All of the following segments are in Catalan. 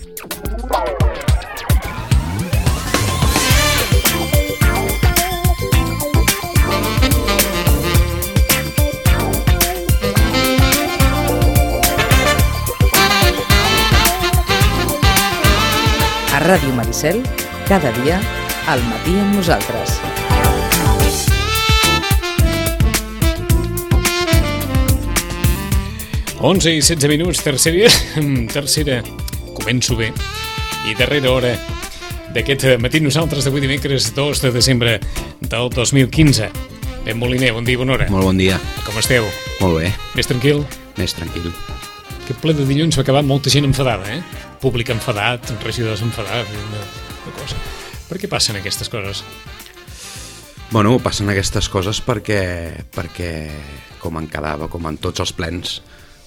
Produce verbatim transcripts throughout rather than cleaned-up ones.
A Ràdio Maricel, cada dia, al matí amb nosaltres. onze i setze minuts, tercera, tercera, començo bé, i darrera hora d'aquest matí nosaltres d'avui dimecres dos de desembre del dos mil quinze. Ben Moliner, bon dia i bona hora. Molt bon dia. Com esteu? Molt bé. Més tranquil? Més tranquil. Aquest ple de dilluns va acabar amb molta gent enfadada, eh? Públic enfadat, regidors enfadats, una, una cosa. Per què passen aquestes coses? Bueno, passen aquestes coses perquè, perquè com en quedava, com en tots els plens,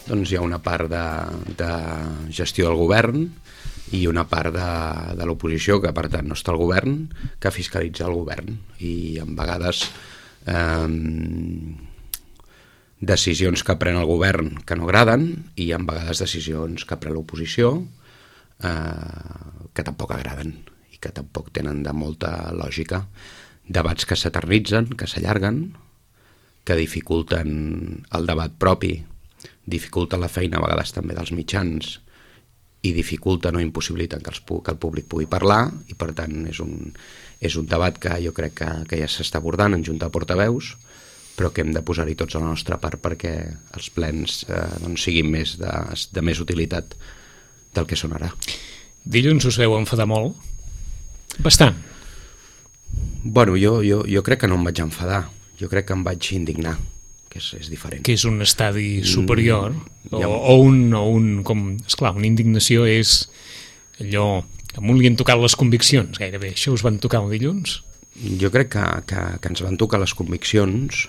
doncs hi ha una part de, de gestió del govern i una part de, de l'oposició, que per tant no està al govern, que fiscalitza el govern. I a vegades eh, decisions que pren el govern que no agraden i a vegades decisions que pren l'oposició eh, que tampoc agraden i que tampoc tenen de molta lògica. Debats que s'eternitzen, que s'allarguen, que dificulten el debat propi, dificulten la feina a vegades també dels mitjans i dificulten o impossibiliten que, els, que el públic pugui parlar, i per tant és un, és un debat que jo crec que, que ja s'està abordant en Junta de Portaveus, però que hem de posar-hi tots a la nostra part perquè els plens eh, doncs siguin més de, de més utilitat del que són ara. Dilluns us veu enfadar molt? Bastant. Bueno, jo, jo, jo crec que no em vaig enfadar, jo crec que em vaig indignar, que és, és diferent. Que és un estadi superior, mm, o, ha... o, un, o un, com, esclar, una indignació és allò, em volien tocar les conviccions, gairebé. Això us van tocar el dilluns? Jo crec que, que, que ens van tocar les conviccions,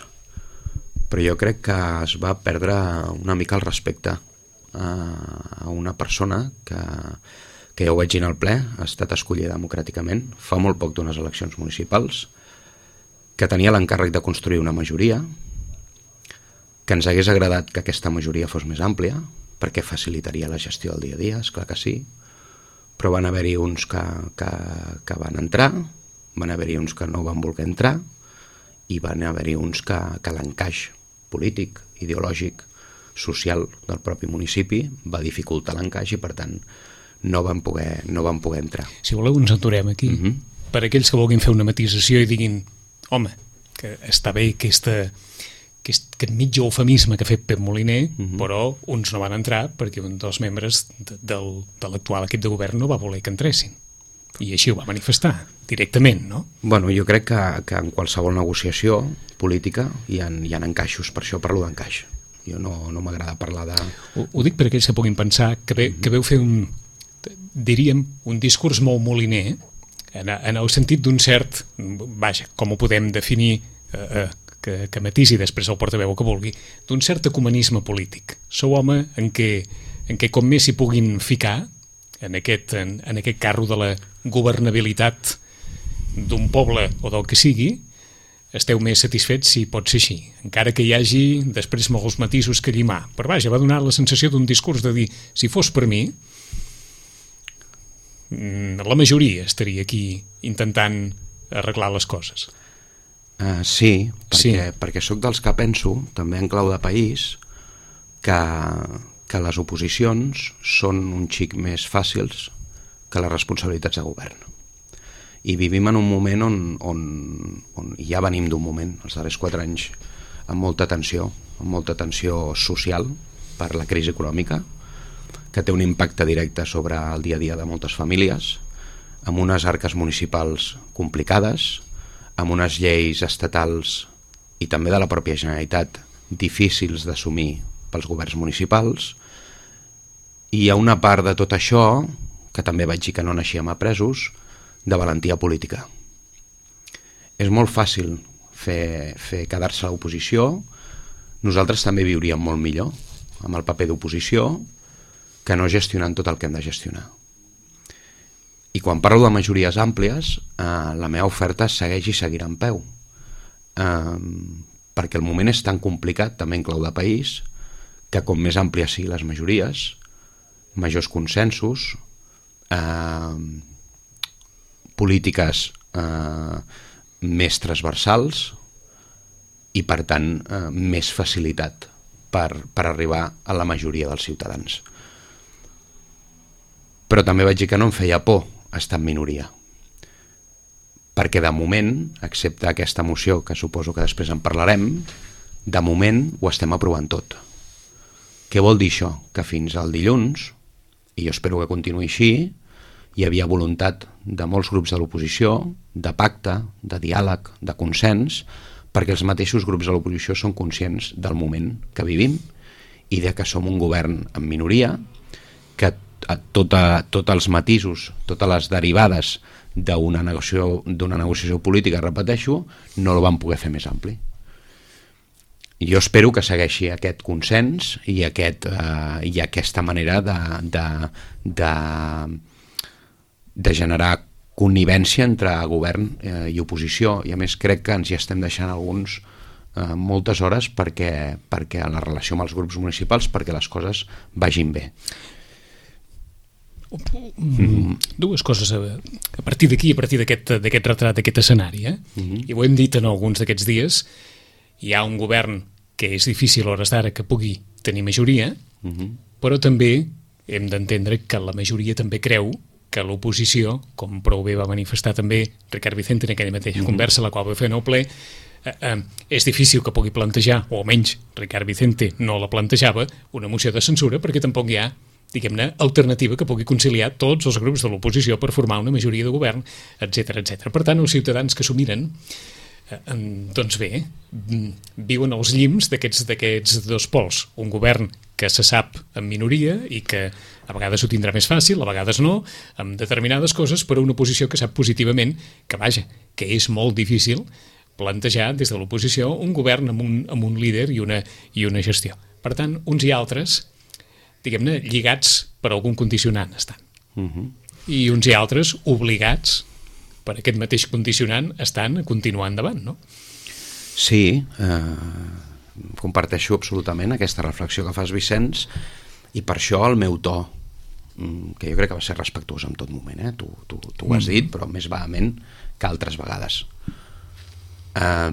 però jo crec que es va perdre una mica el respecte a, a una persona que, que ja ho vaig dir al ple, ha estat escollida democràticament, fa molt poc d'unes eleccions municipals, que tenia l'encàrrec de construir una majoria, que ens hagués agradat que aquesta majoria fos més àmplia, perquè facilitaria la gestió del dia a dia, esclar que sí, però van haver-hi uns que, que, que van entrar, van haver-hi uns que no van voler entrar i van haver-hi uns que, que l'encaix polític, ideològic, social del propi municipi va dificultar l'encaix i per tant no van poder, no van poder entrar. Si voleu ens aturem aquí. Uh-huh. Per aquells que vulguin fer una matisació i diguin home, que està bé aquesta, aquest, aquest mig eufemisme que ha fet Pep Moliner, uh-huh. però uns no van entrar perquè un dels membres de, del, de l'actual equip de govern no va voler que entressin. I així ho va manifestar, directament, no? Bueno, jo crec que, que en qualsevol negociació política hi ha, hi ha encaixos, per això parlo d'encaix. Jo no, no m'agrada parlar de... Ho, ho dic per aquells que puguin pensar que, ve, que veu fer un, diríem, un discurs molt moliner, en, en el sentit d'un cert, vaja, com ho podem definir, eh, eh, que, que matisi després el portaveu que vulgui, d'un cert ecumenisme polític. Sou home en què, en què com més s'hi puguin ficar, en aquest, en, en aquest carro de la governabilitat d'un poble o del que sigui, esteu més satisfets si pot ser així, encara que hi hagi després molts matisos que llimar. Però vaja, va donar la sensació d'un discurs de dir, si fos per mi, la majoria estaria aquí intentant arreglar les coses. Uh, sí, perquè, sí, perquè sóc dels que penso, també en clau de país, que... que les oposicions són un xic més fàcils que les responsabilitats de govern. I vivim en un moment on, on, on ja venim d'un moment, els darrers quatre anys, amb molta tensió, amb molta tensió social per la crisi econòmica, que té un impacte directe sobre el dia a dia de moltes famílies, amb unes arques municipals complicades, amb unes lleis estatals i també de la pròpia Generalitat difícils d'assumir pels governs municipals, i hi ha una part de tot això, que també vaig dir que no naixíem apresos, de valentia política. És molt fàcil fer, fer quedar-se a l'oposició, nosaltres també viuríem molt millor amb el paper d'oposició que no gestionant tot el que hem de gestionar. I quan parlo de majories àmplies, eh, la meva oferta segueix i seguirà en peu. Eh, perquè el moment és tan complicat, també en clau de país, que com més àmplies siguin les majories, majors consensos, eh, polítiques eh, més transversals i, per tant, eh, més facilitat per, per arribar a la majoria dels ciutadans. Però també vaig dir que no em feia por estar en minoria, perquè de moment, excepte aquesta moció, que suposo que després en parlarem, de moment ho estem aprovant tot. Què vol dir això? Que fins al dilluns, i jo espero que continuï així, hi havia voluntat de molts grups de l'oposició, de pacte, de diàleg, de consens, perquè els mateixos grups de l'oposició són conscients del moment que vivim i de que som un govern en minoria, que a tota, tots els matisos, totes les derivades d'una negociació, d'una negociació política, repeteixo, no el van poder fer més ampli. Jo espero que segueixi aquest consens i, aquest, eh, i aquesta manera de, de, de, de generar connivència entre govern eh, i oposició, i a més crec que ens hi estem deixant alguns eh, moltes hores perquè, perquè a la relació amb els grups municipals perquè les coses vagin bé. Mm. Dues coses a, a partir d'aquí, a partir d'aquest d'aquest retrat, d'aquest escenari, eh? Mm-hmm. I ho hem dit en alguns d'aquests dies, hi ha un govern que és difícil a hores d'ara que pugui tenir majoria, mm-hmm. però també hem d'entendre que la majoria també creu que l'oposició, com prou bé va manifestar també Ricard Vicente en aquella mateixa mm-hmm. conversa, la qual va fer en el ple, eh, eh, és difícil que pugui plantejar, o almenys Ricard Vicente no la plantejava, una moció de censura, perquè tampoc hi ha, diguem-ne, alternativa que pugui conciliar tots els grups de l'oposició per formar una majoria de govern, etcètera, etcètera. Per tant, els ciutadans que s'ho miren, eh, doncs bé, viuen als llims d'aquests d'aquests dos pols. Un govern que se sap en minoria i que a vegades ho tindrà més fàcil, a vegades no, amb determinades coses, però una oposició que sap positivament que, vaja, que és molt difícil plantejar des de l'oposició un govern amb un, amb un líder i una, i una gestió. Per tant, uns i altres, diguem-ne, lligats per algun condicionant estan. Uh-huh. I uns i altres obligats per aquest mateix condicionant estan a continuar endavant, no? Sí, eh, comparteixo absolutament aquesta reflexió que fas, Vicenç, i per això el meu to, que jo crec que va ser respectuós en tot moment, eh? tu, tu, tu ho has dit, però més vehement que altres vegades. Eh,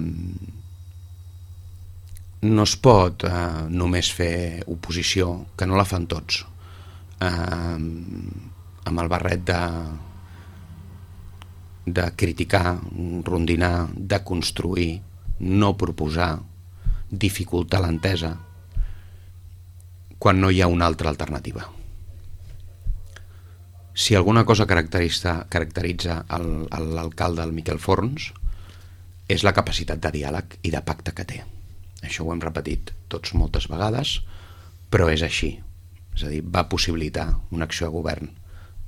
no es pot eh, només fer oposició, que no la fan tots, eh, amb el barret de, de criticar, rondinar, de construir, no proposar, dificultar l'entesa, quan no hi ha una altra alternativa. Si alguna cosa caracteritza, caracteritza el, l'alcalde, el Miquel Forns, és la capacitat de diàleg i de pacte que té. Això ho hem repetit tots moltes vegades, però és així. És a dir, va possibilitar una acció de govern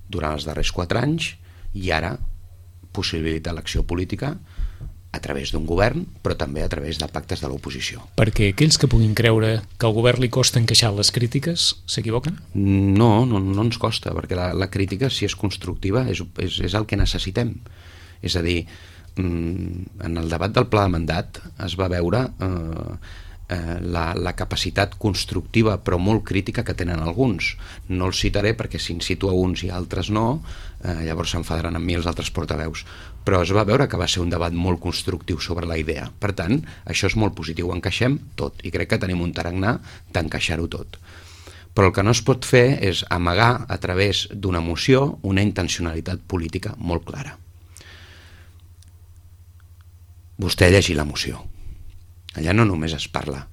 durant els darrers quatre anys i ara possibilita l'acció política a través d'un govern, però també a través de pactes de l'oposició. Perquè aquells que puguin creure que al govern li costa encaixar les crítiques, s'equivoquen? No, no, no ens costa, perquè la, la crítica, si és constructiva, és, és, és el que necessitem. És a dir, en el debat del pla de mandat es va veure eh, eh, la, la capacitat constructiva però molt crítica que tenen alguns. No els citaré perquè si en cito a uns i altres no, eh, llavors s'enfadaran amb mi els altres portaveus, però es va veure que va ser un debat molt constructiu sobre la idea. Per tant, això és molt positiu, encaixem tot i crec que tenim un tarannà d'encaixar-ho tot. Però el que no es pot fer és amagar a través d'una moció una intencionalitat política molt clara. Vostè llegir la moció. Allà no només es parla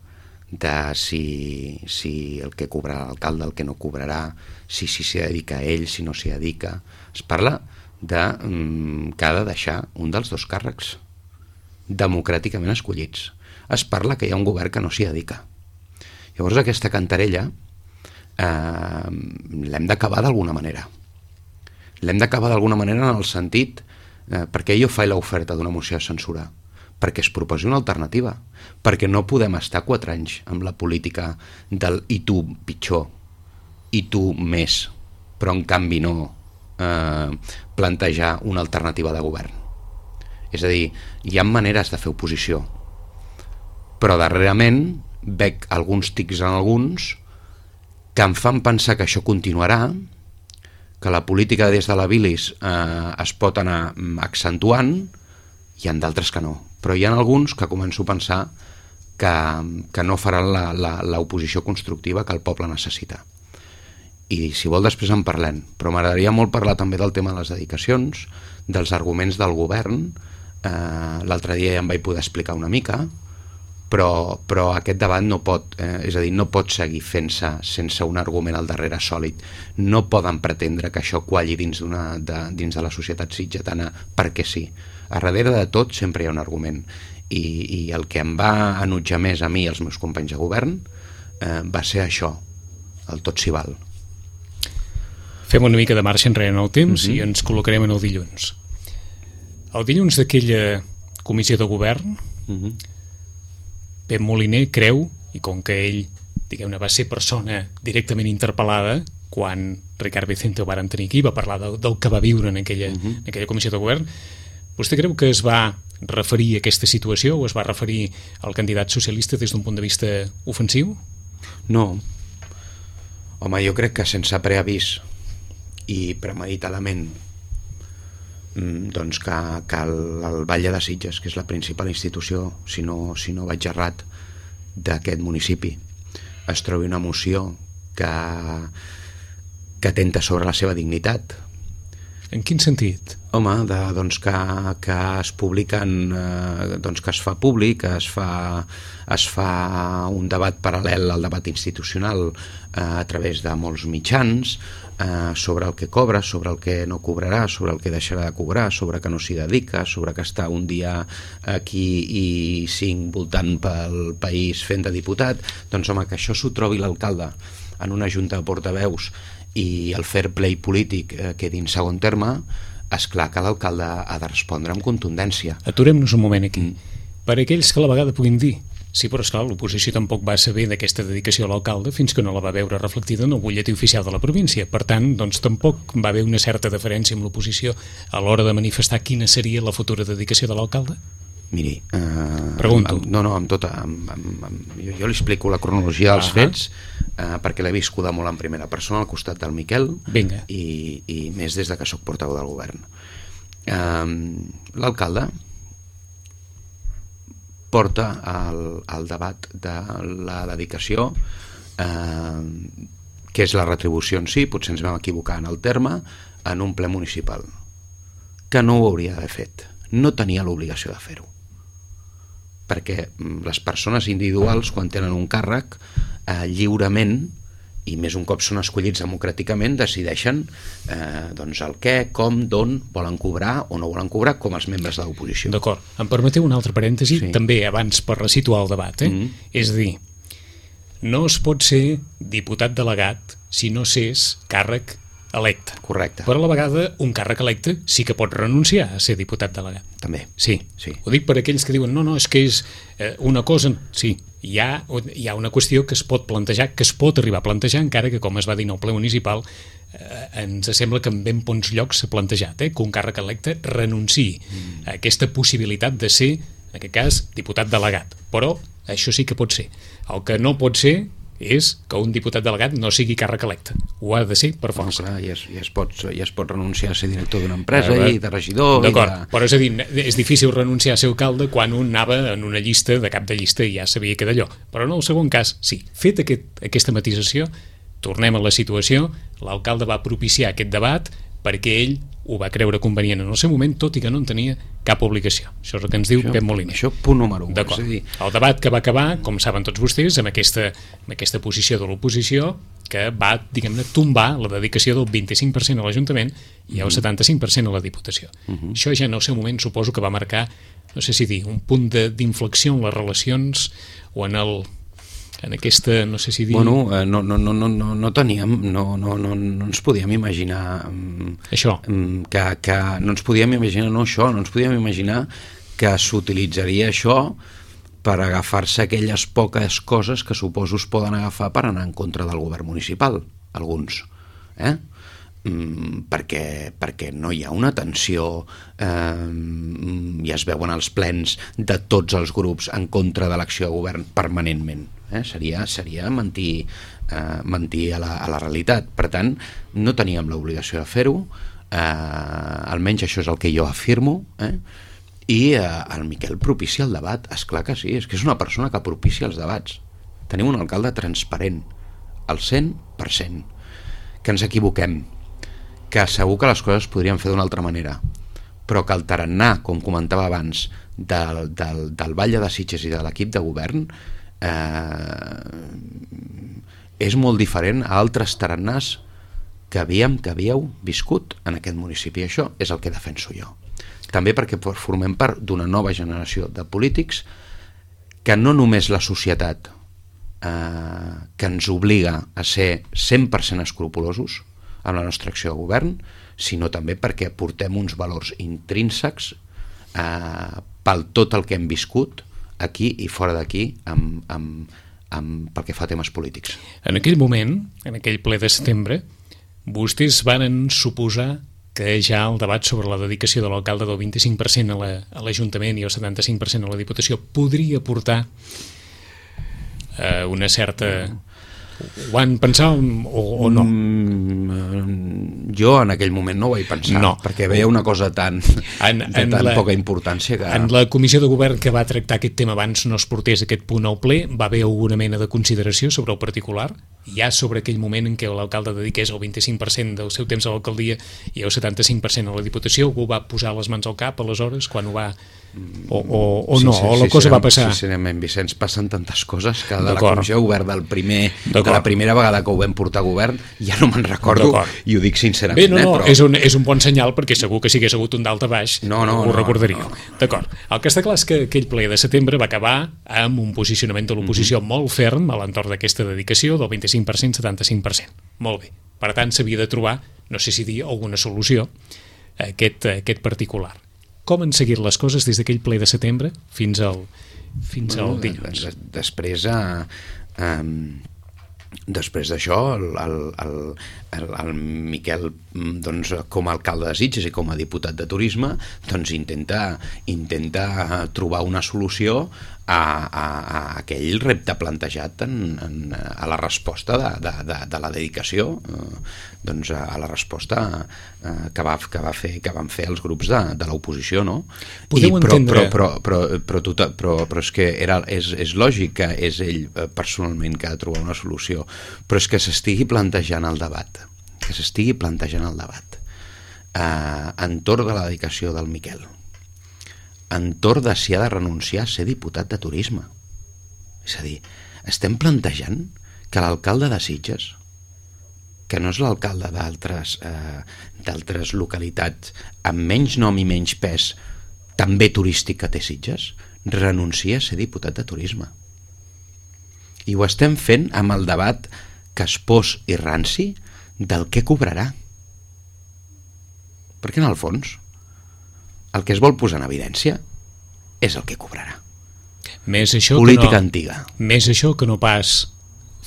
de si, si el que cobrarà l'alcalde, el que no cobrarà, si s'hi si dedica a ell, si no s'hi dedica. Es parla de mm, que ha de deixar un dels dos càrrecs democràticament escollits. Es parla que hi ha un govern que no s'hi dedica. Llavors aquesta cantarella eh, l'hem d'acabar d'alguna manera. L'hem d'acabar d'alguna manera en el sentit eh, perquè jo faig l'oferta d'una moció de censura, perquè es proposi una alternativa, perquè no podem estar quatre anys amb la política del i tu pitjor, i tu més, però en canvi no eh, plantejar una alternativa de govern. És a dir, hi ha maneres de fer oposició, però darrerament veig alguns tics en alguns que em fan pensar que això continuarà, que la política des de la bilis eh, es pot anar accentuant, hi ha d'altres que no. Però hi ha alguns que començo a pensar que, que no faran l'oposició constructiva que el poble necessita. I si vol després en parlem, però m'agradaria molt parlar també del tema de les dedicacions, dels arguments del govern. Eh, l'altre dia ja em vaig poder explicar una mica, però, però aquest debat no pot, eh, és a dir, no pot seguir fent-se sense un argument al darrere sòlid. No poden pretendre que això qualli dins, d'una, de, dins de la societat sitgetana perquè sí. A darrere de tot sempre hi ha un argument, i, i el que em va enutjar més a mi i als meus companys de govern eh, va ser això, el tot s'hi val. Fem una mica de marxa enrere en el temps uh-huh. i ens col·locarem en el dilluns. El dilluns d'aquella comissió de govern, uh-huh. Pep Moliner creu, i com que ell, diguem-ne, va ser persona directament interpel·lada quan Ricard Vicente ho varen tenir aquí, va parlar del, del que va viure en aquella, uh-huh. en aquella comissió de govern, vostè creu que es va referir a aquesta situació o es va referir al candidat socialista des d'un punt de vista ofensiu? No. Home, jo crec que sense preavís i premeditadament doncs que, que el, el Batlle de Sitges, que és la principal institució, si no, si no vaig errat, d'aquest municipi, es trobi una moció que, que atenta sobre la seva dignitat. En quin sentit? Home, de, doncs que, que es publiquen, eh, doncs que es fa públic, es fa, es fa un debat paral·lel al debat institucional eh, a través de molts mitjans, eh, sobre el que cobra, sobre el que no cobrarà, sobre el que deixarà de cobrar, sobre que no s'hi dedica, sobre que està un dia aquí i cinc voltant pel país fent de diputat. Doncs home, que això s'ho trobi l'alcalde en una junta de portaveus i el fair play polític eh, quedi en segon terme, és clar que l'alcalde ha de respondre amb contundència. Aturem-nos un moment aquí. Mm. Per aquells que a la vegada puguin dir sí, però esclar, l'oposició tampoc va saber d'aquesta dedicació a l'alcalde fins que no la va veure reflectida en el butlletí oficial de la província. Per tant, doncs tampoc va haver una certa deferència amb l'oposició a l'hora de manifestar quina seria la futura dedicació de l'alcalde? Miri, eh, pregunto. Amb, no, no, amb tota... Amb, amb, amb, jo, jo li explico la cronologia dels uh-huh. fets eh, perquè l'he viscuda molt en primera persona al costat del Miquel. Vinga. I, i més des de que soc portaveu del govern. Eh, l'alcalde porta el, el debat de la dedicació, eh, que és la retribució en si, potser ens vam equivocar en el terme, en un ple municipal, que no ho hauria d'haver fet. No tenia l'obligació de fer-ho. Perquè les persones individuals, quan tenen un càrrec, eh, lliurement, i més un cop són escollits democràticament, decideixen eh, doncs el què, com, d'on volen cobrar o no volen cobrar, com els membres de l'oposició. D'acord. Em permeteu un altre parèntesi, sí. també abans per resituar el debat. Eh? Mm-hmm. És a dir, no es pot ser diputat delegat si no s'és càrrec electe. Correcte. Però a la vegada un càrrec electe sí que pot renunciar a ser diputat delegat. També. Sí. sí. Ho dic per aquells que diuen no, no, és que és eh, una cosa... Sí, hi ha, hi ha una qüestió que es pot plantejar, que es pot arribar a plantejar, encara que, com es va dir en el ple municipal, eh, ens sembla que en ben bons llocs s'ha plantejat, eh, que un càrrec electe renunciï mm. a aquesta possibilitat de ser, en aquest cas, diputat delegat. Però això sí que pot ser. El que no pot ser és que un diputat delegat no sigui càrrec electe. Ho ha de ser per força. No, clar, ja, es, ja, es pot, ja es pot renunciar a ser director d'una empresa ah, i de regidor. D'acord, de... però és a dir, és difícil renunciar a ser alcalde quan un anava en una llista de cap de llista i ja sabia que d'allò. Però en el segon cas, sí. Fet aquest, aquesta matisació, tornem a la situació, l'alcalde va propiciar aquest debat perquè ell ho va creure convenient en el seu moment, tot i que no en tenia cap obligació. Això és el que ens diu això, Pep Moliner. Això punt número un. D'acord. És a dir... El debat que va acabar, com saben tots vostès, amb aquesta, amb aquesta posició de l'oposició que va, diguem-ne, tombar la dedicació del vint-i-cinc per cent a l'Ajuntament i el setanta-cinc per cent a la Diputació. Uh-huh. Això ja en el seu moment suposo que va marcar, no sé si dir, un punt d'inflexió en les relacions o en el... en aquesta, no sé si dir... Bueno, eh, no, no, no, no, no teníem, no, no, no, no ens podíem imaginar... Um, això. Um, que, que no ens podíem imaginar, no això, no ens podíem imaginar que s'utilitzaria això per agafar-se aquelles poques coses que suposo es poden agafar per anar en contra del govern municipal, alguns. Eh? Mm, perquè, perquè no hi ha una tensió, eh, ja es veuen els plens de tots els grups en contra de l'acció de govern permanentment. eh? seria, seria mentir, eh, mentir a, la, a la realitat. Per tant, no teníem l'obligació de fer-ho, eh, almenys això és el que jo afirmo, eh? I eh, el Miquel propicia el debat, és clar que sí, és que és una persona que propicia els debats. Tenim un alcalde transparent, al cent per cent, que ens equivoquem, que segur que les coses es podrien fer d'una altra manera, però que el tarannà, com comentava abans, del, del, del Batlle de Sitges i de l'equip de govern eh, és molt diferent a altres tarannàs que havíem, que havíeu viscut en aquest municipi. Això és el que defenso jo. També perquè formem part d'una nova generació de polítics que no només la societat eh, que ens obliga a ser cent per cent escrupulosos amb la nostra acció de govern, sinó també perquè portem uns valors intrínsecs eh, pel tot el que hem viscut aquí i fora d'aquí amb, amb, amb, pel que fa a temes polítics. En aquell moment, en aquell ple de setembre, vostès van suposar que ja el debat sobre la dedicació de l'alcalde del vint-i-cinc per cent a l'Ajuntament i el setanta-cinc per cent a la Diputació podria portar eh, una certa... Ho van pensar o, o no? Mm, jo en aquell moment no ho vaig pensar, no. Perquè veia una cosa tan, en, de en tan la, poca importància que... En la comissió de govern que va tractar aquest tema abans no es portés aquest punt al ple, va haver alguna mena de consideració sobre el particular? Ja sobre aquell moment en què l'alcalde dediqués el vint-i-cinc per cent del seu temps a l'alcaldia i el setanta-cinc per cent a la Diputació, algú va posar les mans al cap aleshores quan ho va... O, o, o no, sí, sí, o la cosa va passar? Sincerament, Vicenç, passen tantes coses que de la comissió de govern del primer, de la primera vegada que ho vam portar a govern ja no me'n recordo i ho dic sincerament. Bé, no, no, eh, però... és, un, és un bon senyal perquè segur que si hagués hagut un dalt a baix no, no, ho no, recordaríeu. No, no. D'acord. El que està clar és que aquell ple de setembre va acabar amb un posicionament de l'oposició mm-hmm. molt ferm a l'entorn d'aquesta dedicació del vint-i-cinc per cent, setanta-cinc per cent. Molt bé. Per tant, s'havia de trobar, no sé si dir, alguna solució a aquest, a aquest particular. Com han seguit les coses des d'aquell ple de setembre fins al, fins bueno, al dilluns? Després, eh, eh, després d'això, el, el, el, el Miquel, doncs, com a alcalde de Sitges i com a diputat de turisme, doncs intenta, intenta trobar una solució a, a, a aquell repte plantejat en, en, a la resposta de, de, de, de la dedicació, eh, doncs a la resposta eh, que, va, que, va fer, que van fer els grups de, de l'oposició, no? Podeu I, però, entendre... però, però, però, però, tot, però, però és que era, és, és lògic que és ell personalment que ha de trobar una solució, però és que s'estigui plantejant el debat, que s'estigui plantejant el debat eh, entorn de la dedicació del Miquel, entorn de si ha de renunciar a ser diputat de turisme. És a dir, estem plantejant que l'alcalde de Sitges, que no és l'alcalde d'altres eh, d'altres localitats amb menys nom i menys pes, també turístic que té Sitges, renuncia a ser diputat de turisme. I ho estem fent amb el debat caspós i ranci del què cobrarà. Perquè en el fons el que es vol posar en evidència és el que cobrarà. Més això política que no, antiga. Més això que no pas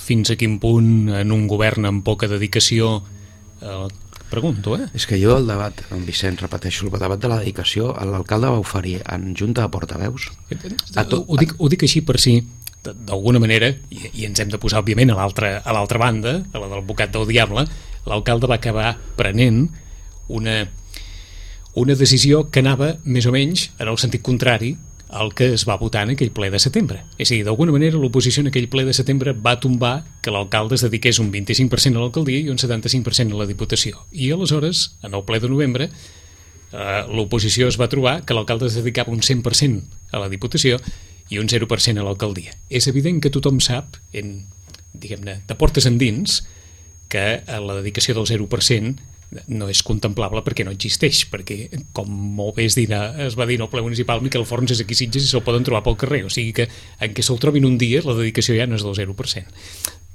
fins a quin punt en un govern amb poca dedicació eh, pregunto, eh? És que jo el debat, en Vicent, repeteixo, el debat de la dedicació, l'alcalde va oferir en junta de portaveus a tot, ho, dic, ho dic així per si d'alguna manera, i, i ens hem de posar òbviament a l'altra a l'altra banda, a la del bocat del diable, l'alcalde va acabar prenent una una decisió que anava més o menys en el sentit contrari al que es va votar en aquell ple de setembre. És a dir, d'alguna manera l'oposició en aquell ple de setembre va tombar que l'alcalde es dediqués un vint-i-cinc per cent a l'alcaldia i un setanta-cinc per cent a la Diputació. I aleshores, en el ple de novembre, eh, l'oposició es va trobar que l'alcalde es dedicava un cent per cent a la Diputació i un zero per cent a l'alcaldia. És evident que tothom sap, en, diguem-ne, de portes endins, que la dedicació del zero per cent no és contemplable perquè no existeix, perquè, com molt bé es, dirà, es va dir en el ple municipal, Miquel Forns és aquí a Sitges i se'l poden trobar pel carrer, o sigui que en què se'l trobin un dia la dedicació ja no és del zero per cent.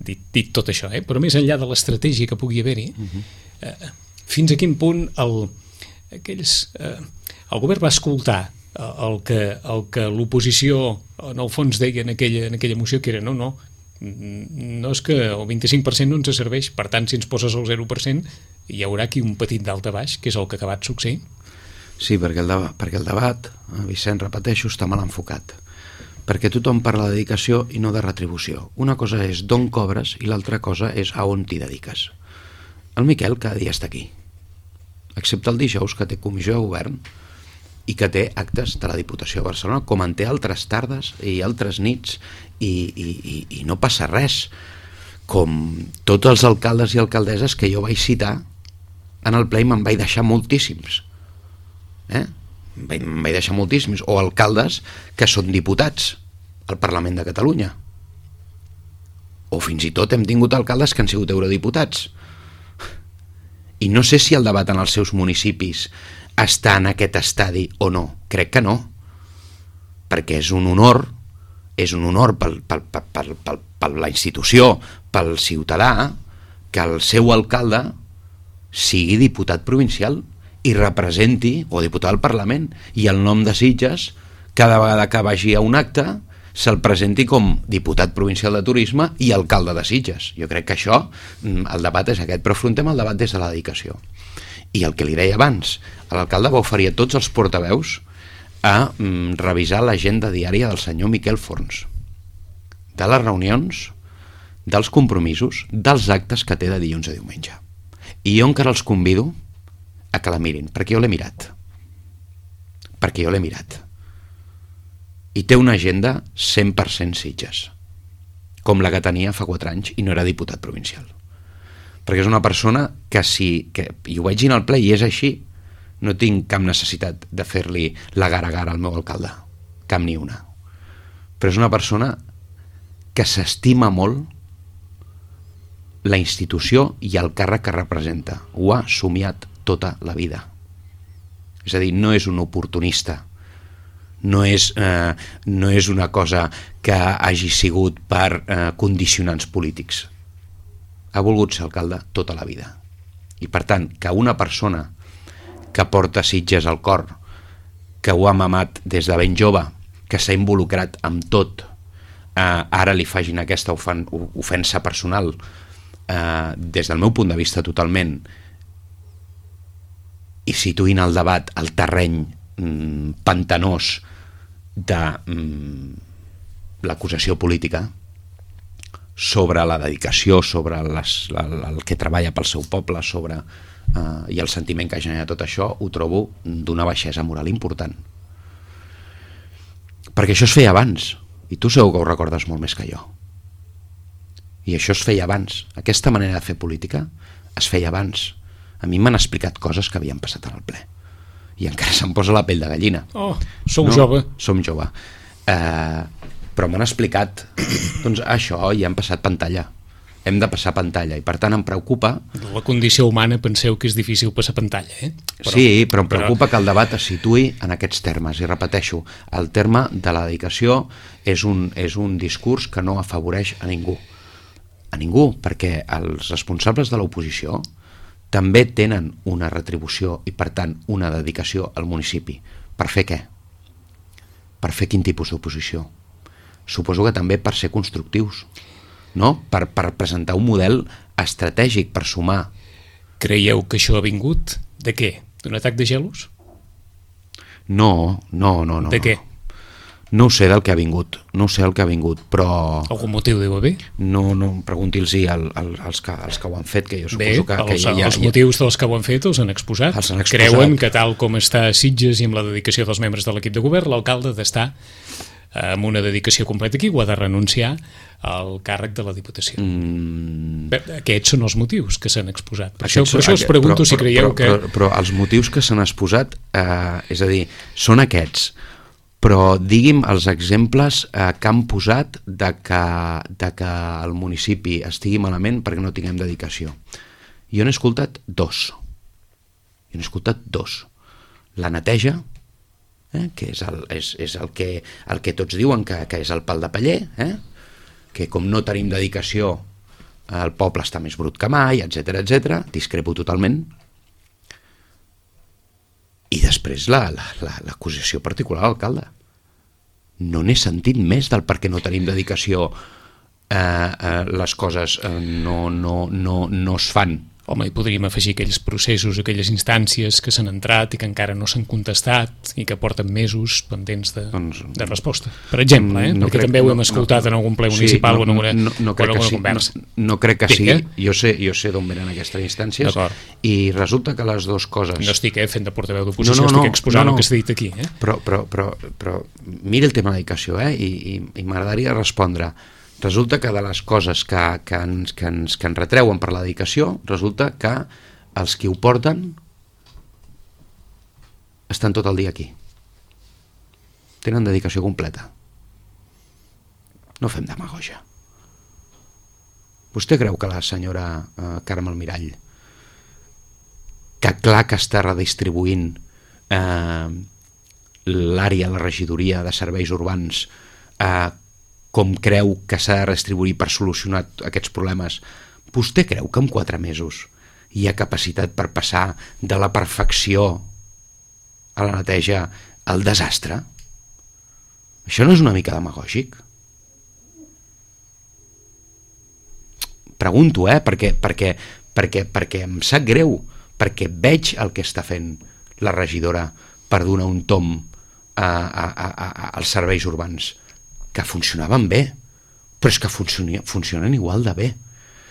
Dit, dit tot això, eh? Però més enllà de l'estratègia que pugui haver-hi, uh-huh. eh, fins a quin punt el, aquells, eh, el govern va escoltar el que, el que l'oposició en el fons deia en aquella, en aquella moció, que era no, no, no és que el vint-i-cinc per cent no ens serveix, per tant si ens poses el zero per cent hi haurà aquí un petit dalt a baix, que és el que ha acabat succeint. Sí, perquè el, debat, perquè el debat, Vicent, repeteixo, està mal enfocat. perquè tothom parla de dedicació i no de retribució. Una cosa és d'on cobres i l'altra cosa és a on t'hi dediques. El Miquel cada dia està aquí, excepte el dijous, que té comissió de govern i que té actes de la Diputació de Barcelona, com en té altres tardes i altres nits, i, i, i, i no passa res. Com tots els alcaldes i alcaldesses que jo vaig citar en el ple i me'n vaig deixar moltíssims. Eh? Me'n vaig deixar moltíssims. O alcaldes que són diputats al Parlament de Catalunya. O fins i tot hem tingut alcaldes que han sigut eurodiputats. I no sé si el debat en els seus municipis està en aquest estadi o no. Crec que no. Perquè és un honor, és un honor per, per, per, per, per, per la institució, pel ciutadà, que el seu alcalde sigui diputat provincial i representi, o diputat al Parlament, i el nom de Sitges, cada vegada que vagi a un acte, se'l presenti com diputat provincial de turisme i alcalde de Sitges. Jo crec que això, el debat és aquest, però afrontem el debat des de la dedicació. I el que li deia abans, l'alcalde va oferir a tots els portaveus a mm, revisar l'agenda diària del senyor Miquel Forns, de les reunions, dels compromisos, dels actes que té de dilluns a diumenge. I jo encara els convido a que la mirin, perquè jo l'he mirat. Perquè jo l'he mirat. I té una agenda cent per cent Sitges, com la que tenia fa quatre anys i no era diputat provincial. Perquè és una persona que si, que, i ho vaig dir al ple i és així, no tinc cap necessitat de fer-li la gara a gara al meu alcalde, cap ni una. Però és una persona que s'estima molt la institució i el càrrec que representa. Ho ha somiat tota la vida. És a dir, no és un oportunista, no és, eh, no és una cosa que hagi sigut per eh, condicionants polítics. Ha volgut ser alcalde tota la vida. I per tant, que una persona que porta Sitges al cor, que ho ha mamat des de ben jove, que s'ha involucrat amb tot, eh, ara li facin aquesta ofen ofensa personal, eh, des del meu punt de vista totalment, i situïn el debat al terreny mm, pantanós de mm, l'acusació política sobre la dedicació, sobre les, la, el que treballa pel seu poble, sobre Uh, i el sentiment que genera tot això, ho trobo d'una baixesa moral important, perquè això es feia abans i tu segur que ho recordes molt més que jo, i això es feia abans. Aquesta manera de fer política es feia abans. A mi m'han explicat coses que havien passat en el ple i encara se'm posa la pell de gallina. Oh, sou no? jove. Som jove, uh, però m'han explicat doncs això, i han passat pantalla. Hem de passar pantalla, i per tant em preocupa... La condició humana penseu que és difícil passar pantalla, eh? Però, sí, però em preocupa però... que el debat es situï en aquests termes, i repeteixo, el terme de la dedicació és un, és un discurs que no afavoreix a ningú. A ningú, perquè els responsables de l'oposició també tenen una retribució i per tant una dedicació al municipi. Per fer què? Per fer quin tipus d'oposició? Suposo que també per ser constructius, no? Per, per presentar un model estratègic per sumar. Creieu que això ha vingut de què? D'un atac de gelos? No, no, no, no. De què? No ho sé del que ha vingut, no ho sé el que ha vingut, però... Algun motiu deu haver? No, no, pregunti-los al, al, als, que, als que ho han fet, que jo Bé, suposo que... els, que ja, ja, els motius dels que ho han fet els han exposat. Els han exposat. Creuen que tal com està a Sitges i amb la dedicació dels membres de l'equip de govern, l'alcalde ha d'estar amb una dedicació completa aquí, o ha de renunciar al càrrec de la Diputació. Mm. Bé, aquests són els motius que s'han exposat. Per això, per això us pregunto però, si creieu però, que... Però, però els motius que s'han exposat, eh, és a dir, són aquests, però digui'm els exemples eh, que han posat de que, de que el municipi estigui malament perquè no tinguem dedicació. Jo n'he escoltat dos. Jo n'he escoltat dos. La neteja, eh, que és, el, és, és el, que, el que tots diuen que, que és el pal de paller, eh? Que com no tenim dedicació el poble està més brut que mai, etcètera, etcètera. Discrepo totalment. I després l'acusació la, la, particular a l'alcalde. No n'he sentit més del per què no tenim dedicació, eh, eh, les coses eh, no, no, no, no es fan home, hi podríem afegir aquells processos, aquelles instàncies que s'han entrat i que encara no s'han contestat i que porten mesos pendents de, doncs, de resposta. Per exemple, eh? no perquè crec, també ho hem escoltat no, no, en algun ple municipal sí, no, o en alguna, no, no, no crec o en alguna sí, conversa. No, no crec que sí, jo sé, jo sé d'on venen aquestes instàncies i resulta que les dues coses... No estic eh, fent de portaveu d'oposició, no, no, estic exposant no, no. el que s'ha dit aquí. Eh? Però, però, però, però mira el tema de la dedicació eh? I, i, i m'agradaria respondre. Resulta que de les coses que, que, ens, que, ens, que ens retreuen per la dedicació, resulta que els qui ho porten estan tot el dia aquí. Tenen dedicació completa. No fem demagogia. Vostè creu que la senyora eh, Carme Almirall, que clar que està redistribuint eh, l'àrea, la regidoria de serveis urbans, eh, com creu que s'ha de redistribuir per solucionar aquests problemes, vostè creu que en quatre mesos hi ha capacitat per passar de la perfecció a la neteja al desastre? Això no és una mica demagògic? Pregunto, eh? Perquè, perquè, perquè, perquè em sap greu, perquè veig el que està fent la regidora per donar un tom a, a, a, a, als serveis urbans, que funcionaven bé, però és que funcionen, funcionen igual de bé.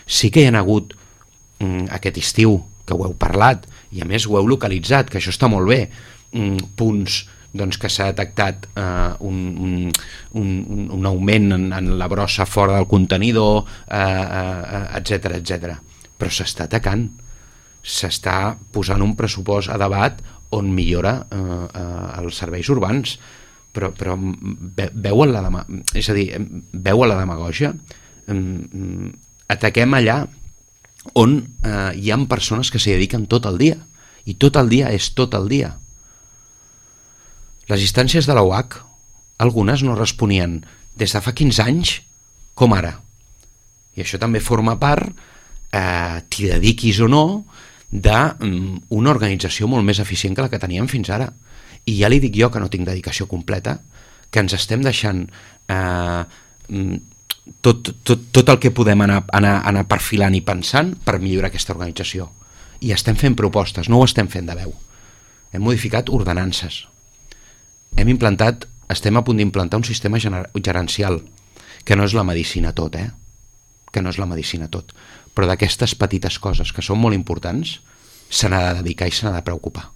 Sí que hi ha hagut mm, aquest estiu, que ho heu parlat, i a més ho heu localitzat, que això està molt bé, mm, punts doncs, que s'ha detectat eh, un, un, un, un augment en, en la brossa fora del contenidor, eh, eh, etcètera, etcètera. Però s'està atacant, s'està posant un pressupost a debat on millora eh, eh, els serveis urbans, però, però veuen la dema... és a dir, veuen la demagògia, ataquem allà on eh, hi ha persones que s'hi dediquen tot el dia, i tot el dia és tot el dia. Les instàncies de la U H, algunes no responien des de fa quinze anys com ara, i això també forma part, eh, t'hi dediquis o no, d'una organització molt més eficient que la que teníem fins ara. I ja li dic jo que no tinc dedicació completa, que ens estem deixant eh, tot, tot, tot el que podem anar, anar, anar perfilant i pensant per millorar aquesta organització. I estem fent propostes, no ho estem fent de veu. Hem modificat ordenances. Hem implantat, estem a punt d'implantar un sistema gerencial, que no és la medicina tot, eh? Que no és la medicina tot. Però d'aquestes petites coses que són molt importants, se n'ha de dedicar i se n'ha de preocupar.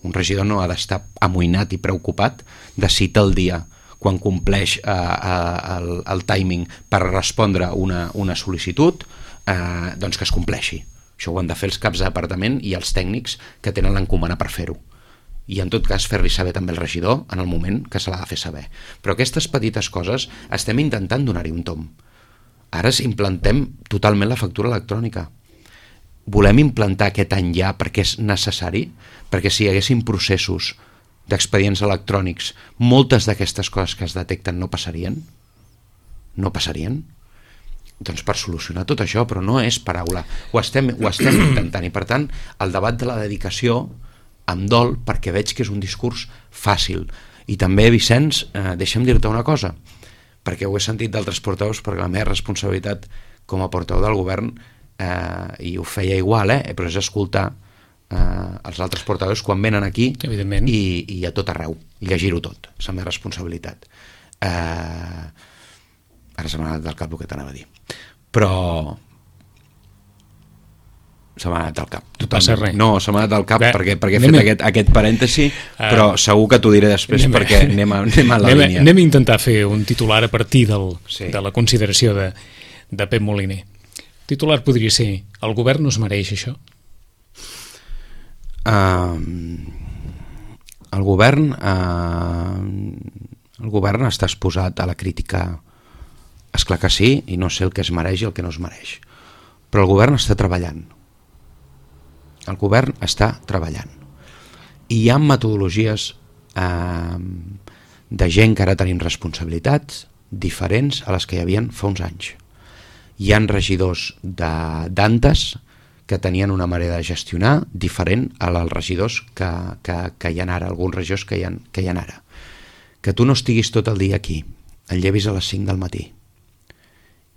Un regidor no ha d'estar amoïnat i preocupat de si té el dia quan compleix eh, eh, el, el timing per respondre una, una sol·licitud, eh, doncs que es compleixi. Això ho han de fer els caps de departament i els tècnics que tenen l'encomana per fer-ho. I en tot cas fer-li saber també el regidor en el moment que se l'ha de fer saber. Però aquestes petites coses estem intentant donar-hi un tom. Ara implantem totalment la factura electrònica. Volem implantar aquest any ja perquè és necessari, perquè si hi haguessin processos d'expedients electrònics, moltes d'aquestes coses que es detecten no passarien? No passarien? Doncs per solucionar tot això, però no és paraula. Ho estem, ho estem intentant, i per tant el debat de la dedicació em dol perquè veig que és un discurs fàcil. I també, Vicenç, eh, deixa'm dir-te una cosa, perquè ho he sentit d'altres portaveus, perquè la meva responsabilitat com a portaveu del govern Eh, i ho feia igual, eh? Però és escoltar eh, els altres portaveus quan venen aquí i, i a tot arreu, i llegir-ho tot, és la meva responsabilitat. Eh, ara se m'ha anat del cap el que t'anava a dir, però se m'ha anat del cap. Totalment. No, se m'ha anat del cap Bé, perquè, perquè he fet aquest, aquest parèntesi, uh, però segur que t'ho diré després anem, perquè anem a, anem a la anem, línia. Anem a intentar fer un titular a partir del, sí. de la consideració de, de Pep Moliner. Titular podria ser: el govern no es mereix això? Uh, el govern uh, el govern està exposat a la crítica, esclar que sí, i no sé el que es mereix i el que no es mereix, però el govern està treballant el govern està treballant i hi ha metodologies uh, de gent que ara tenim responsabilitats diferents a les que hi havia fa uns anys. Hi ha regidors d'antes que tenien una manera de gestionar diferent als regidors que, que, que hi ha ara, alguns regidors que hi ha, que hi ha ara. Que tu no estiguis tot el dia aquí, et llevis a les cinc del matí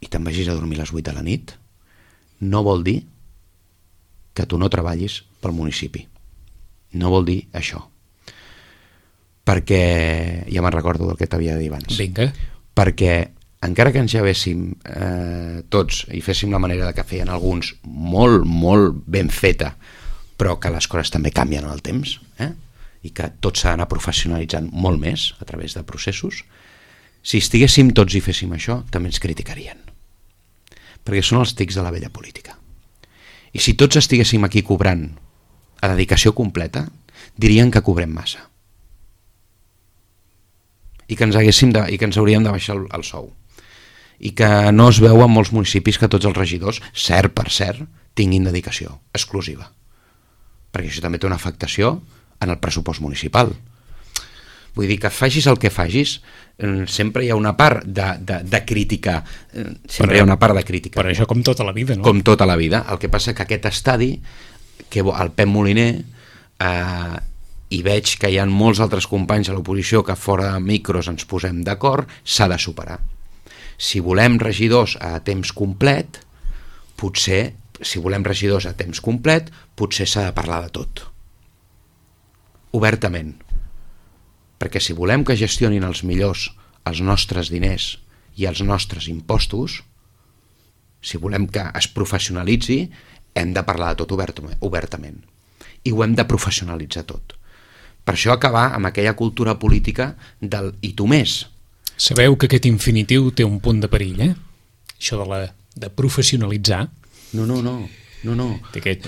i te'n vagis a dormir a les vuit de la nit, no vol dir que tu no treballis pel municipi. No vol dir això. Perquè, ja me'n recordo del que t'havia de dir abans. Vinga. Perquè encara que ens llevéssim eh, tots i féssim la manera que feien alguns molt, molt ben feta, però que les coses també canvien en el temps, eh? I que tot s'ha d'anar professionalitzant molt més a través de processos, si estiguéssim tots i féssim això, també ens criticarien. Perquè són els tics de la vella política. I si tots estiguéssim aquí cobrant a dedicació completa, dirien que cobrem massa. I que ens, haguéssim de, i que ens hauríem de baixar el, el sou. I que no es veu en molts municipis que tots els regidors, cert per cert, tinguin dedicació exclusiva. Perquè això també té una afectació en el pressupost municipal. Vull dir que facis el que facis, sempre hi ha una part de, de, de crítica, sempre però, hi ha una part de crítica. Però això com tota la vida, no? Com tota la vida. El que passa que aquest estadi, que el Pep Moliner, eh, i veig que hi ha molts altres companys a l'oposició que fora de micros ens posem d'acord, s'ha de superar. Si volem regidors a temps complet, potser, si volem regidors a temps complet, potser s'ha de parlar de tot. Obertament. Perquè si volem que gestionin els millors els nostres diners i els nostres impostos, si volem que es professionalitzi, hem de parlar de tot obertament. I ho hem de professionalitzar tot. Per això acabar amb aquella cultura política del i tu més. Sabeu que aquest infinitiu té un punt de perill, eh? Això de, la, de professionalitzar. No, no, no. No, no.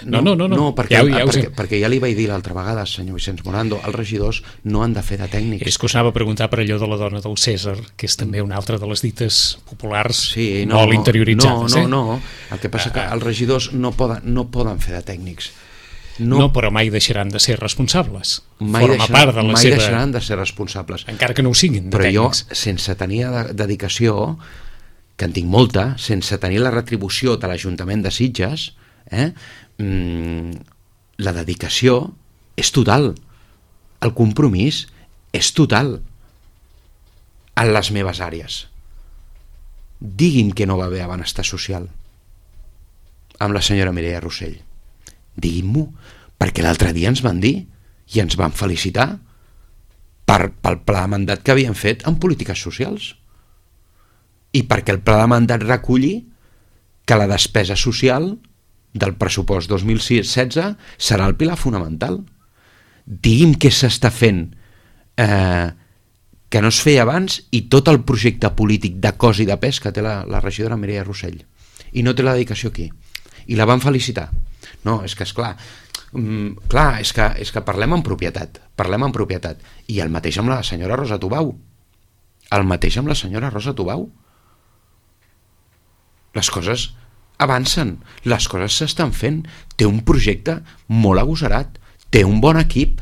No, no, no, no. no perquè, ja, ja perquè, perquè ja li vaig dir l'altra vegada, senyor Vicenç Morando, els regidors no han de fer de tècnics. És que us anava a preguntar per allò de la dona del Cèsar, que és també una altra de les dites populars sí, no, molt interioritzades. No, no, eh? no. El que passa que els regidors no poden, no poden fer de tècnics. No, no, però mai deixaran de ser responsables. Mai, Forma deixaran, part de la mai seva... deixaran de ser responsables. Encara que no ho siguin, de però tècnics. Jo, sense tenir de, dedicació, que en tinc molta, sense tenir la retribució de l'Ajuntament de Sitges, eh, mmm, la dedicació és total. El compromís és total en les meves àrees. Digui'm que no va haver benestar social amb la senyora Mireia Rossell. Digui'm-ho, perquè l'altre dia ens van dir i ens van felicitar per, pel pla de mandat que havien fet en polítiques socials i perquè el pla de mandat reculli que la despesa social del pressupost dos mil setze serà el pilar fonamental. Digui'm què s'està fent eh, que no es feia abans i tot el projecte polític de cos i de pes que té la, la regidora Mireia Rossell i no té la dedicació aquí i la van felicitar. No, és que és clar, mm, clar és, que, és que parlem en propietat, parlem en propietat. I el mateix amb la senyora Rosa Tubau. El mateix amb la senyora Rosa Tubau. Les coses avancen, les coses s'estan fent. Té un projecte molt agosarat, té un bon equip,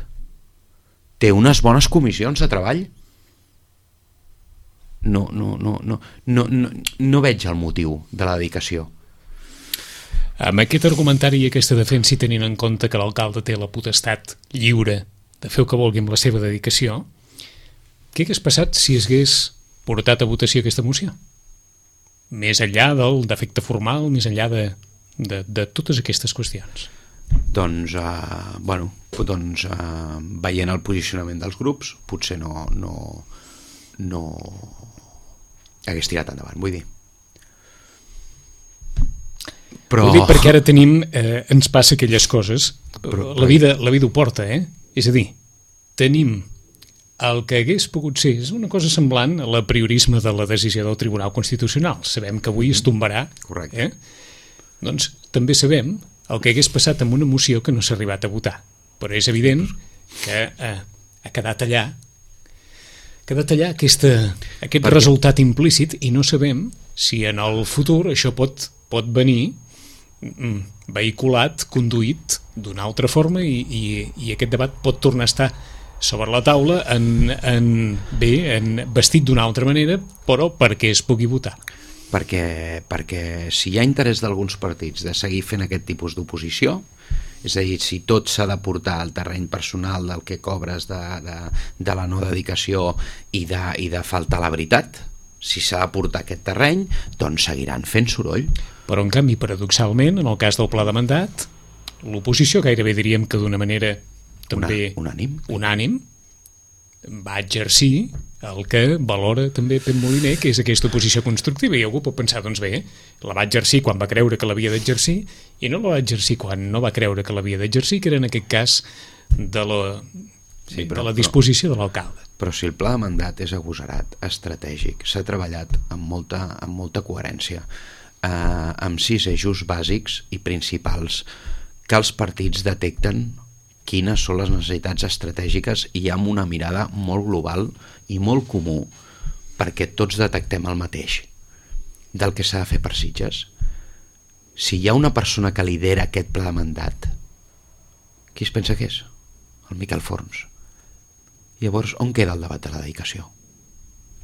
té unes bones comissions de treball. No, no, no, no, no, no, no veig el motiu de la dedicació. Amb aquest argumentari i aquesta defensa i tenint en compte que l'alcalde té la potestat lliure de fer el que vulgui amb la seva dedicació, què hagués passat si hagués portat a votació aquesta moció? Més enllà del defecte formal, més enllà de, de, de totes aquestes qüestions. Doncs, uh, bueno, doncs uh, veient el posicionament dels grups, potser no, no, no hagués tirat endavant, vull dir. Però... Ho dic perquè ara tenim, eh, ens passa aquelles coses, però, la vida, la vida ho porta, eh? És a dir, tenim el que hagués pogut ser, és una cosa semblant a l'apriorisme de la decisió del Tribunal Constitucional. Sabem que avui es tombarà. Correcte. Eh? Doncs també sabem el que hagués passat amb una moció que no s'ha arribat a votar. Però és evident que eh, ha quedat allà ha quedat allà aquesta, aquest perquè... resultat implícit i no sabem si en el futur això pot, pot venir vehiculat, conduït d'una altra forma i, i, i aquest debat pot tornar a estar sobre la taula en, en, bé, en vestit d'una altra manera, però perquè es pugui votar. Perquè, perquè si hi ha interès d'alguns partits de seguir fent aquest tipus d'oposició, és a dir, si tot s'ha de portar al terreny personal del que cobres de, de, de la no dedicació i de, i de faltar la veritat, si s'ha de portar aquest terreny, doncs seguiran fent soroll. Però en canvi, paradoxalment, en el cas del pla de mandat, l'oposició gairebé diríem que d'una manera també Una, unànim. unànim va exercir el que valora també Pep Moliner, que és aquesta oposició constructiva, i algú pot pensar, doncs bé, la va exercir quan va creure que l'havia d'exercir i no la va exercir quan no va creure que l'havia d'exercir, que era en aquest cas de la, sí, però, de la disposició però, de l'alcalde. Però si el pla de mandat és agosarat, estratègic, s'ha treballat amb molta, amb molta coherència, eh, amb sis eixos bàsics i principals que els partits detecten quines són les necessitats estratègiques i amb una mirada molt global i molt comú, perquè tots detectem el mateix del que s'ha de fer per Sitges. Si hi ha una persona que lidera aquest pla de mandat, qui es pensa que és? El Miquel Forns. Llavors, on queda el debat de la dedicació?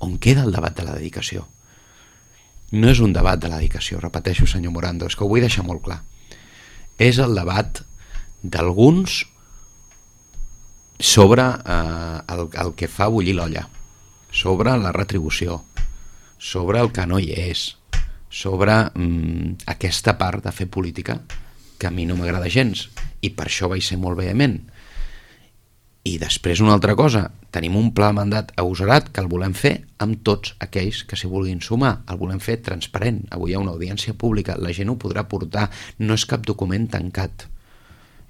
On queda el debat de la dedicació? No és un debat de la dedicació, repeteixo, senyor Morando, és que ho vull deixar molt clar. És el debat d'alguns sobre eh, el, el que fa bullir l'olla, sobre la retribució, sobre el que no hi és, sobre mm, aquesta part de fer política que a mi no m'agrada gens, i per això vaig ser molt vehement. I després una altra cosa, tenim un pla de mandat agosarat que el volem fer amb tots aquells que s'hi vulguin sumar, el volem fer transparent, avui hi ha una audiència pública, la gent ho podrà portar, no és cap document tancat.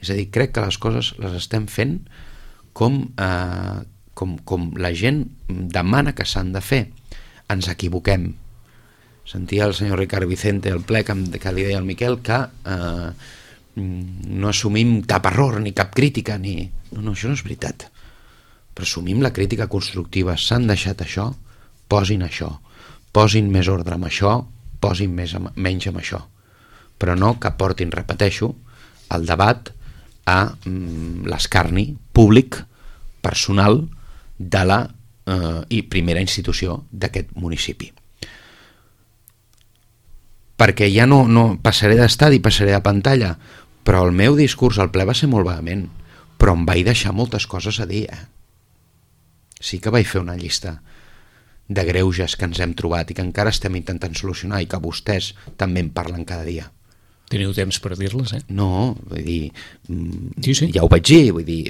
És a dir, crec que les coses les estem fent com, eh, com, com la gent demana que s'han de fer. Ens equivoquem. Sentia el senyor Ricard Vicente al ple que, que li deia al Miquel que eh, no assumim cap error ni cap crítica ni... no, no, això no és veritat, però assumim la crítica constructiva, s'han deixat això, posin això, posin més ordre amb això, posin més amb, menys amb això, però no que portin, repeteixo, el debat a mm, l'escarni públic, personal de la eh, i primera institució d'aquest municipi. Perquè ja no, no passaré d'estadi, passaré de pantalla, però el meu discurs al ple va ser molt vehement, però em vaig deixar moltes coses a dir. Eh? Sí que vaig fer una llista de greuges que ens hem trobat i que encara estem intentant solucionar i que vostès també en parlen cada dia. Teniu temps per dir-les, eh? No, vull dir, sí, sí. ja ho vaig dir, vull dir,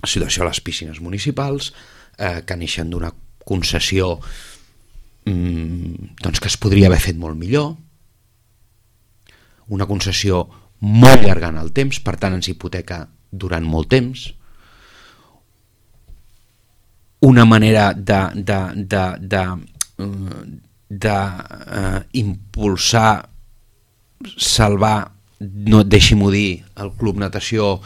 la situació a les piscines municipals, eh, que neixen d'una concessió doncs que es podria haver fet molt millor, una concessió molt llarga en el temps, per tant ens hipoteca durant molt temps, una manera de de, de, de, de uh, impulsar, salvar, no, deixi-m'ho dir, el Club Natació,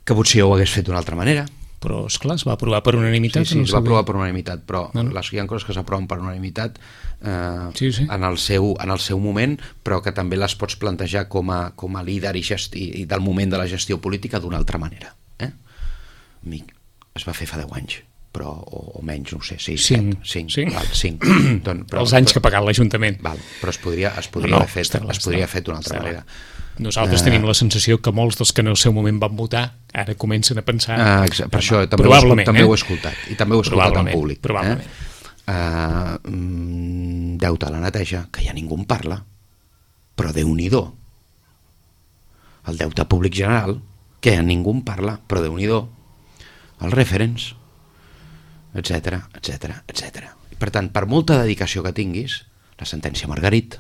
que potser ho hagués fet d'una altra manera. Però, esclar, es va aprovar per unanimitat. Sí, sí, no es va aprovar per unanimitat, però no, no. Les, hi ha coses que s'aproven per unanimitat eh, sí, sí. En, el seu, en el seu moment, però que també les pots plantejar com a, com a líder i, gesti, i del moment de la gestió política d'una altra manera. Eh? Es va fer fa deu anys, però, o, o menys, no sé, sis, cinc. set, cinc, cinc. Val, cinc. Doncs, però, els anys però, que ha pagat l'Ajuntament. Val, però es podria, es podria no, no, haver fet, està, es podria haver fet d'una altra està, manera. Nosaltres uh, tenim la sensació que molts dels que en el seu moment van votar ara comencen a pensar... Uh, per això també, ho, també eh? ho he escoltat, i també ho he escoltat en públic. Probablement. Eh? Uh, deute a la neteja, que ja ningú en parla, però Déu-n'hi-do. El deute públic general, que ja ningú en parla, però Déu-n'hi-do. Els referents, etcètera, etcètera, etcètera. Per tant, per molta dedicació que tinguis, la sentència Margarit,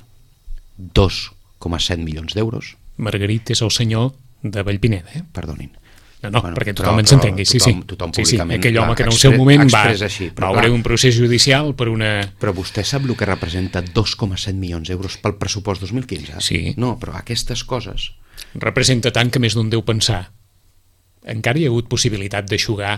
dos coma set milions d'euros. Margarit és el senyor de Vallpineda, eh? Perdonin. No, no, bueno, perquè tothom ens entengui, sí, tothom, sí. Tothom sí, sí. Aquell home clar, que en el expre, seu moment va, així, va obrir un procés judicial per una... Però vostè sap el que representa dos coma set milions d'euros pel pressupost dos mil quinze? Sí. No, però aquestes coses... Representa tant que més d'un deu pensar. Encara hi ha hagut possibilitat d'aixugar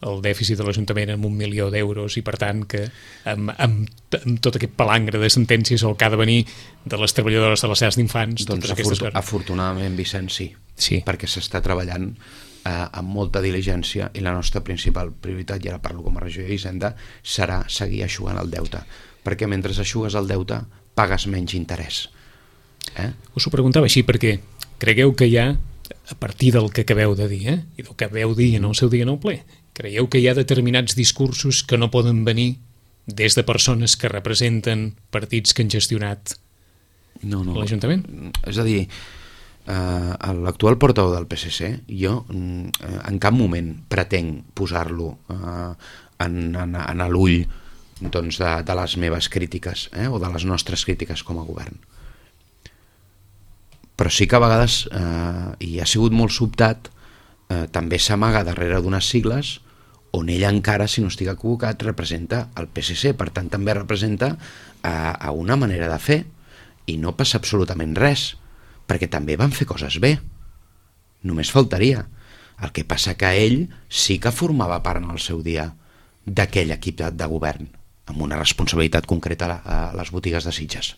el dèficit de l'Ajuntament amb un milió d'euros i per tant que amb, amb, amb tot aquest palangre de sentències el que ha de venir de les treballadores de les llars d'infants, doncs totes aquestes coses. Afortunadament, Vicent, sí, sí. Perquè s'està treballant eh, amb molta diligència i la nostra principal prioritat, i ara parlo com a regidor d'Hisenda, serà seguir eixugant el deute, perquè mentre eixugues el deute pagues menys interès. Eh? Us ho preguntava així perquè cregueu que hi ha, a partir del que acabeu de dir, eh, i del que veu dir en el seu dia en el ple, creieu que hi ha determinats discursos que no poden venir des de persones que representen partits que han gestionat no, no. l'Ajuntament? És a dir, eh, l'actual portaveu del P S C, jo eh, en cap moment pretenc posar-lo eh, en, en, en l'ull doncs, de, de les meves crítiques eh, o de les nostres crítiques com a govern. Però sí que a vegades, eh, i ha sigut molt sobtat, eh, també s'amaga darrere d'unes sigles on ella encara, si no estic equivocat, representa el P S C, per tant també representa a, a una manera de fer, i no passa absolutament res, perquè també van fer coses bé, només faltaria. El que passa que ell sí que formava part en el seu dia d'aquell equip de, de govern, amb una responsabilitat concreta a, a les botigues de Sitges.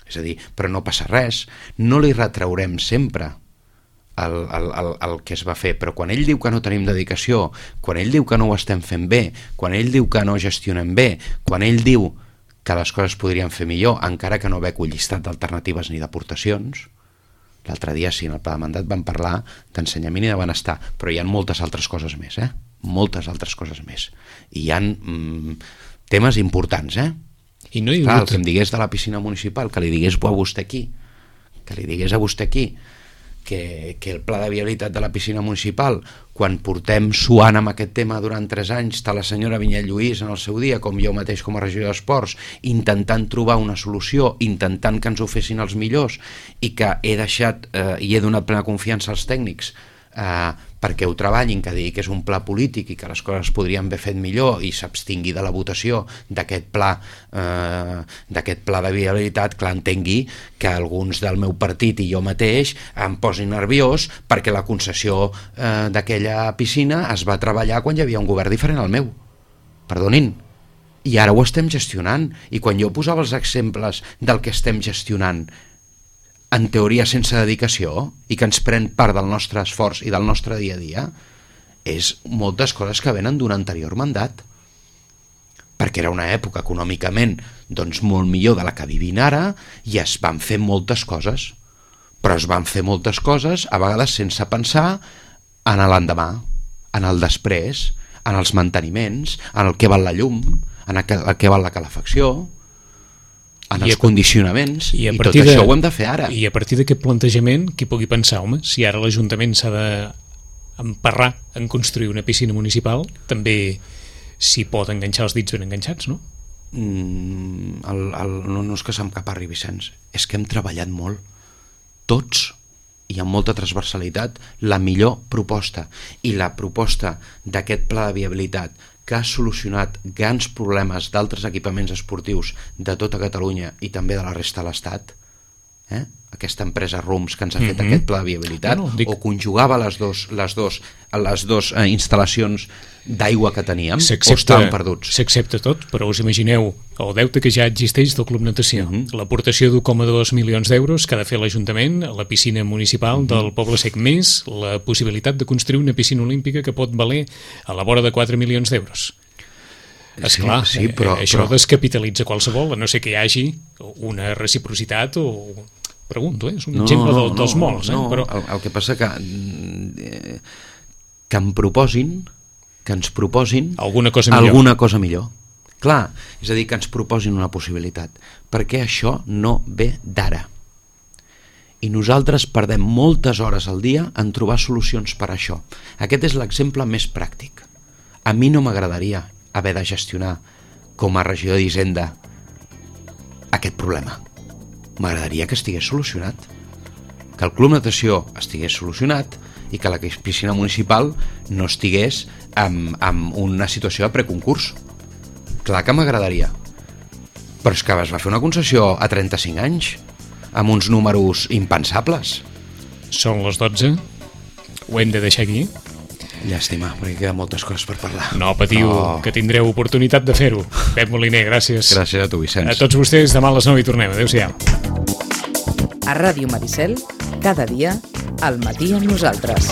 És a dir, però no passa res, no li retraurem sempre el, el, el, el que es va fer, però quan ell diu que no tenim dedicació, quan ell diu que no ho estem fent bé, quan ell diu que no gestionem bé, quan ell diu que les coses podrien fer millor, encara que no veig un llistat d'alternatives ni d'aportacions. L'altre dia sí, en el pla de mandat vam parlar d'ensenyament i de benestar, però hi ha moltes altres coses més, eh? Moltes altres coses més. I hi ha mm, temes importants, eh? I no hi Clar, el que em digués de la piscina municipal, que li digués a vostè aquí, que li digués a vostè aquí, que, que el pla de viabilitat de la piscina municipal, quan portem suant amb aquest tema durant tres anys, està la senyora Vinyet Lluís en el seu dia, com jo mateix com a regidor d'Esports, intentant trobar una solució, intentant que ens ho fessin els millors, i que he deixat eh, i he donat plena confiança als tècnics eh, perquè ho treballin, que digui que és un pla polític i que les coses podrien haver fet millor i s'abstingui de la votació d'aquest pla eh, d'aquest pla de viabilitat, clar, entengui que alguns del meu partit i jo mateix em posin nerviós perquè la concessió eh, d'aquella piscina es va treballar quan hi havia un govern diferent al meu. Perdonin. I ara ho estem gestionant, i quan jo posava els exemples del que estem gestionant en teoria sense dedicació i que ens pren part del nostre esforç i del nostre dia a dia, és moltes coses que venen d'un anterior mandat, perquè era una època econòmicament doncs molt millor de la que vivim ara i es van fer moltes coses, però es van fer moltes coses a vegades sense pensar en l'endemà, en el després, en els manteniments, en el que val la llum, en el que val la calefacció, en els condicionaments, i, i tot de, això ho hem de fer ara. I a partir d'aquest plantejament, qui pugui pensar, home, si ara l'Ajuntament s'ha d'emparrar en construir una piscina municipal, també s'hi pot enganxar els dits ben enganxats, no? Mm, el, el, no, no és que se'm caparri, Vicenç, és que hem treballat molt, tots, i amb molta transversalitat, la millor proposta, i la proposta d'aquest pla de viabilitat que ha solucionat grans problemes d'altres equipaments esportius de tota Catalunya i també de la resta de l'Estat, eh? Aquesta empresa Rums que ens ha fet mm-hmm. aquest pla de viabilitat, no, no, dic... o conjugava les dos, les dos, les dos eh, instal·lacions d'aigua que teníem, o estaven perduts. S'accepta tot, però us imagineu el deute que ja existeix del Club Natació, mm-hmm. l'aportació d'un coma dos milions d'euros que ha de fer l'Ajuntament a la piscina municipal mm-hmm. del Poble Sec, més la possibilitat de construir una piscina olímpica que pot valer a la vora de quatre milions d'euros. Esclar, sí, sí, però, això però... descapitalitza qualsevol, a no ser que hi hagi una reciprocitat o... Pregunto, eh? És un no, exemple no, dels no, molts. Eh? No, però... el, el que passa que eh, que em proposin que ens proposin alguna cosa millor. Alguna cosa millor. Clar, és a dir, que ens proposin una possibilitat, perquè això no ve d'ara. I nosaltres perdem moltes hores al dia en trobar solucions per a això. Aquest és l'exemple més pràctic. A mi no m'agradaria haver de gestionar com a regidor d'Hisenda aquest problema. M'agradaria que estigués solucionat, que el Club Natació estigués solucionat i que la piscina municipal no estigués en, en una situació de preconcurs. Clar que m'agradaria, però és que es va fer una concessió a trenta-cinc anys amb uns números impensables. Són les dotze, ho hem de deixar aquí. Llàstima, perquè queden moltes coses per parlar. No patiu, no. Que tindreu oportunitat de fer-ho. Pep Moliner, gràcies. Gràcies a tu, Vicenç. A tots vostès, demà a les nou i tornem. Adéu-siau. A Ràdio Maricel, cada dia, al matí amb nosaltres.